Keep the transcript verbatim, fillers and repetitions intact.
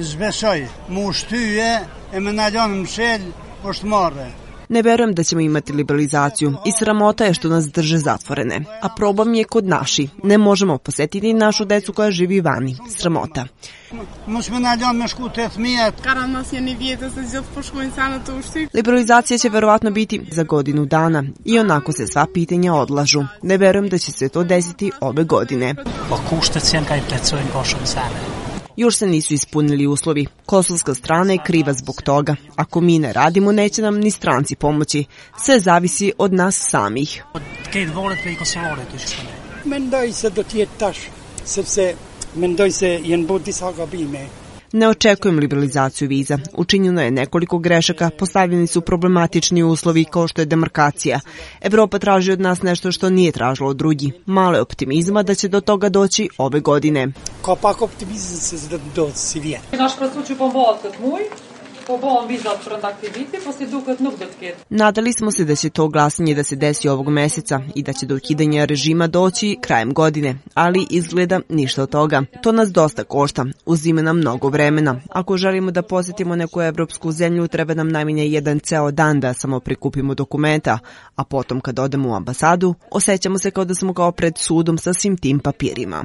zbesoj, mu shtyje e me na lënë mshel, është marrë. Ne verujem da ćemo imati liberalizaciju i sramota je što nas drže zatvorene. A problem je kod naši. Ne možemo posetiti našu decu koja živi vani. Sramota. Liberalizacija će verovatno biti za godinu dana i onako se sva pitanja odlažu. Ne verujem da će se to desiti ove godine. Još se nisu ispunili uslovi. Kosovska strana je kriva zbog toga. Ako mi ne radimo, neće nam ni stranci pomoći. Sve zavisi od nas samih. Mendoj se do të jetë tash, sepse mendoj se janë bërë disa gabime. Ne očekujem liberalizaciju viza. Učinjeno je nekoliko grešaka, postavljeni su problematični uslovi kao što je demarkacija. Evropa traži od nas nešto što nije tražilo od drugih. Malo je optimizma da će do toga doći ove godine. Ka pak optimizam se do të ndodhë si vjen. Naš pracući pombohat këtë muj, po bom vizat për aktiviti, po si duket nuk do të ketë. Nadali smo se da će to glasanje da se desi ovog meseca i da će do ukidanja režima doći krajem godine, ali izgleda ništa od toga. To nas dosta košta, uzima nam mnogo vremena. Ako želimo da posjetimo neku evropsku zemlju, treba nam najmanje jedan ceo dan da samo prikupimo dokumenta, a potom kad odemo u ambasadu, osjećamo se kao da smo kao pred sudom sa svim tim papirima.